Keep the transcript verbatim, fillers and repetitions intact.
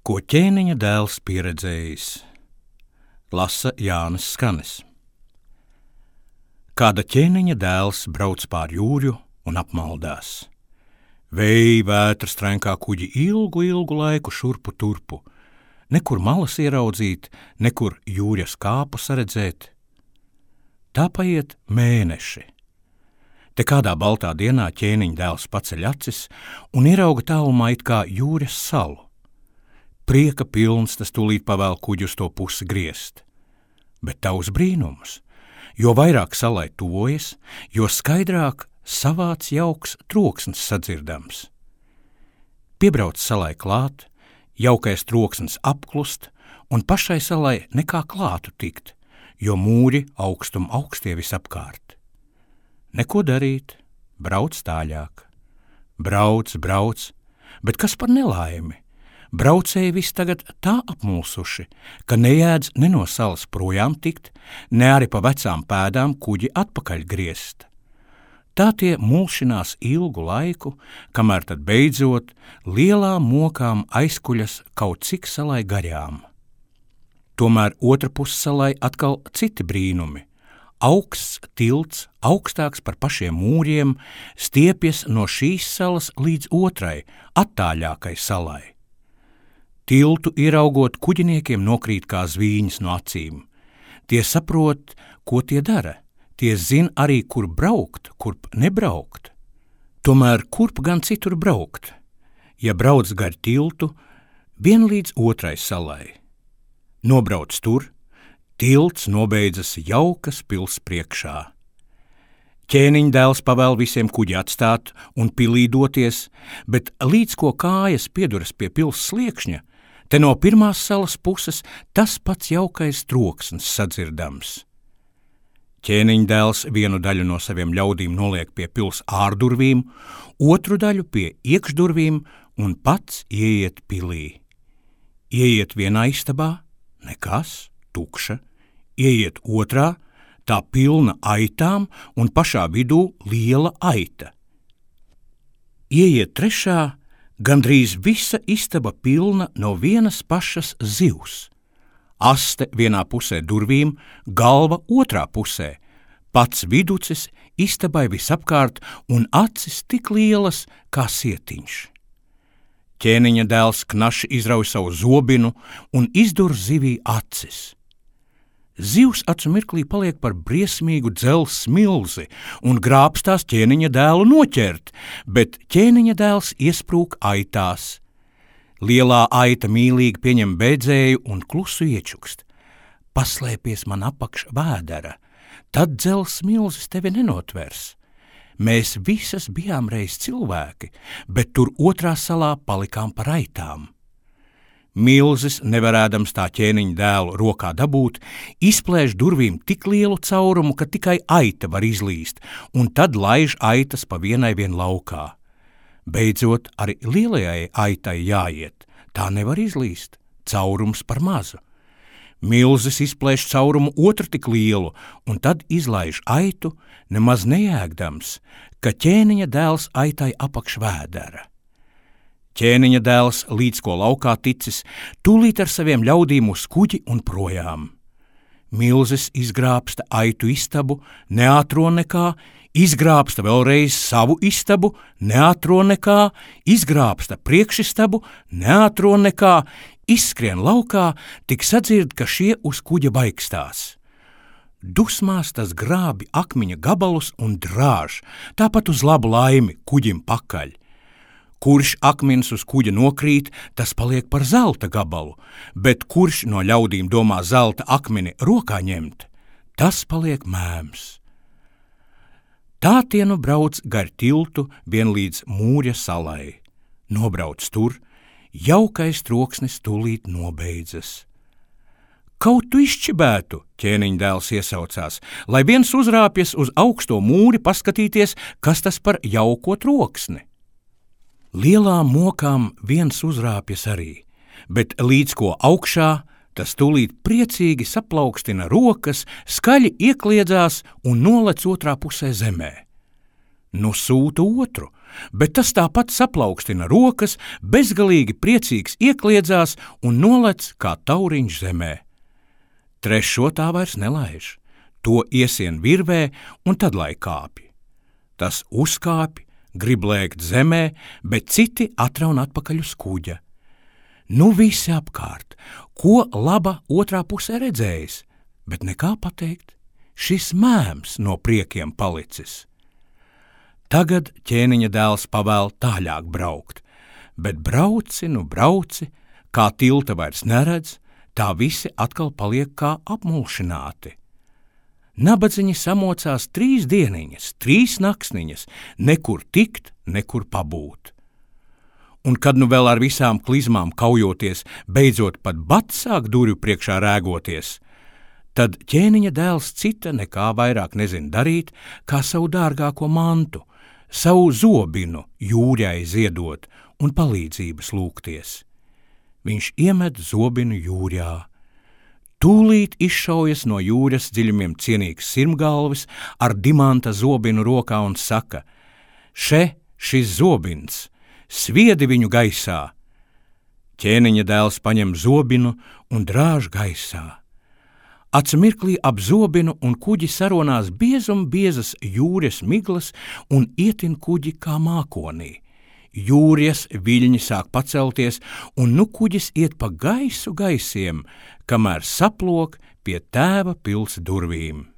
Ko ķēniņa dēls pieredzējis, lasa Jānis Skanis. Kāda ķēniņa dēls brauc pār jūrju un apmaldās. Vēji vētras trenkā kuģi ilgu, ilgu laiku šurpu turpu, nekur malas ieraudzīt, nekur jūras kāpu saredzēt. Tā paiet mēneši. Te kādā baltā dienā ķēniņa dēls paceļ acis un ierauga tālumā it kā jūras salu. Prieka pilns tas tūlīt pavēl kuģi uz to pusi griezt. Bet tavs brīnums, jo vairāk salai tuvojas, jo skaidrāk savāds jauks troksnis sadzirdams. Piebrauc salai klāt, jaukais troksnis apklust, un pašai salai nekā klātu tikt, jo mūri augstum augstie visapkārt. Neko darīt, brauc tāļāk. Brauc, brauc, bet kas par nelaimi? Braucēji viss tagad tā apmulsuši, ka nejēdz ne no salas projām tikt, ne arī pa vecām pēdām kuģi atpakaļ griezt. Tā tie mulšinās ilgu laiku, kamēr tad beidzot lielām mokām aizkuļas kaut cik salai garām. Tomēr otra pus salai atkal citi brīnumi. Augsts tilts, augstāks par pašiem mūriem, stiepjas no šīs salas līdz otrai, attāļākai salai. Tiltu ieraugot, kuģiniekiem nokrīt kā zvīņas no acīm. Tie saprot, ko tie dara. Tie zin arī, kur braukt, kurp nebraukt. Tomēr kurp gan citur braukt? Ja brauc gar tiltu, vien līdz otrai salai. Nobrauc tur, tilts nobeidzas jaukas pils priekšā. Ķēniņa dēls pavēl visiem kuģi atstāt un pilī doties, bet līdz ko kājas pieduras pie pils sliekšņa, te no pirmās salas puses tas pats jaukais troksnis sadzirdams. Ķēniņa dēls vienu daļu no saviem ļaudīm noliek pie pils ārdurvīm, otru daļu pie iekšdurvīm un pats ieiet pilī. Ieiet vienā istabā, nekas, tukša, ieiet otrā, tā pilna aitām un pašā vidū liela aita. Ieiet trešā, gandrīz visa istaba pilna no vienas pašas zivs. Aste vienā pusē durvīm, galva otrā pusē, pats viducis istabai visapkārt un acis tik lielas kā sietiņš. Ķēniņa dēls knaši izrauj savu zobinu un izdur zivī acis. Zivs acu mirklī paliek par briesmīgu dzelzs milzi un grābstās ķēniņa dēlu noķert, bet ķēniņa dēls iesprūk aitās. Lielā aita mīlīgi pieņem bēdzēju un klusu iečukst. Paslēpies man apakš vēdera, tad dzelzs milzis tevi nenotvers. Mēs visas bijām reiz cilvēki, bet tur otrā salā palikām par aitām. Milzis, nevarēdams tā ķēniņa dēlu rokā dabūt, izplēš durvīm tik lielu caurumu, ka tikai aita var izlīst, un tad laiž aitas pa vienai vien laukā. Beidzot, arī lielajai aitai jāiet, tā nevar izlīst, caurums par mazu. Milzis izplēš caurumu otru tik lielu, un tad izlaiž aitu, nemaz nejēgdams, ka ķēniņa dēls aitai apakš vēdera. Ķēniņa dēls, līdz ko laukā ticis, tūlīt ar saviem ļaudīm uz kuģi un projām. Milzis izgrābsta aitu istabu, neatro nekā, izgrābsta vēlreiz savu istabu, neatro nekā, izgrābsta priekšistabu, neatro nekā, izskrien laukā, tik sadzird, ka šie uz kuģa baikstās. Dusmās tas grābi akmeņa gabalus un drāž, tāpat uz labu laimi kuģim pakaļ. Kurš akmens uz kuģa nokrīt, tas paliek par zelta gabalu, bet kurš no ļaudīm domā zelta akmeni rokā ņemt, tas paliek mēms. Tā tie nu brauc gar tiltu vien līdz mūrja salai. Nobrauc tur, jaukais troksnis tūlīt nobeidzas. Kaut tu izčibētu, ķēniņa dēls iesaucās, lai viens uzrāpjas uz augsto mūri paskatīties, kas tas par jauko troksni. Lielām mokām viens uzrāpjas arī, bet līdz ko augšā, tas tūlīt priecīgi saplaukstina rokas, skaļi iekliedzās un nolec otrā pusē zemē. Nu sūta otru, bet tas tāpat saplaukstina rokas, bezgalīgi priecīgs iekliedzās un nolec kā tauriņš zemē. Trešo tā vairs nelaiž, to iesien virvē un tad lai kāpj. Tas uzkāpj, grib lēkt zemē, bet citi atraun atpakaļ uz kuģa. Nu visi apkārt, ko laba otrā pusē redzējis, bet nekā pateikt, šis mēms no priekiem palicis. Tagad ķēniņa dēls pavēl tāļāk braukt, bet brauci, nu brauci, kā tilta vairs neredz, tā visi atkal paliek kā apmulšināti. Nabadziņi samocās trīs dieniņas, trīs naksniņas, nekur tikt, nekur pabūt. Un kad nu vēl ar visām klizmām kaujoties, beidzot pat bats sāk durvju priekšā rēgoties, tad ķēniņa dēls cita nekā vairāk nezin darīt, kā savu dārgāko mantu, savu zobinu jūrjai ziedot un palīdzības lūgties. Viņš iemet zobinu jūrjā. Tūlīt izšaujas no jūras dziļumiem cienīgs sirmgalvis ar dimanta zobinu rokā un saka: še šis zobins, sviedi viņu gaisā. Ķēniņa dēls paņem zobinu un drāž gaisā. Atsmirklī ap zobinu un kuģi saronās biezum biezas jūras miglas un ietin kuģi kā mākonī. Jūras viļņi sāk pacelties, un nu kuģis iet pa gaisu gaisiem, kamēr saplok pie tēva pils durvīm.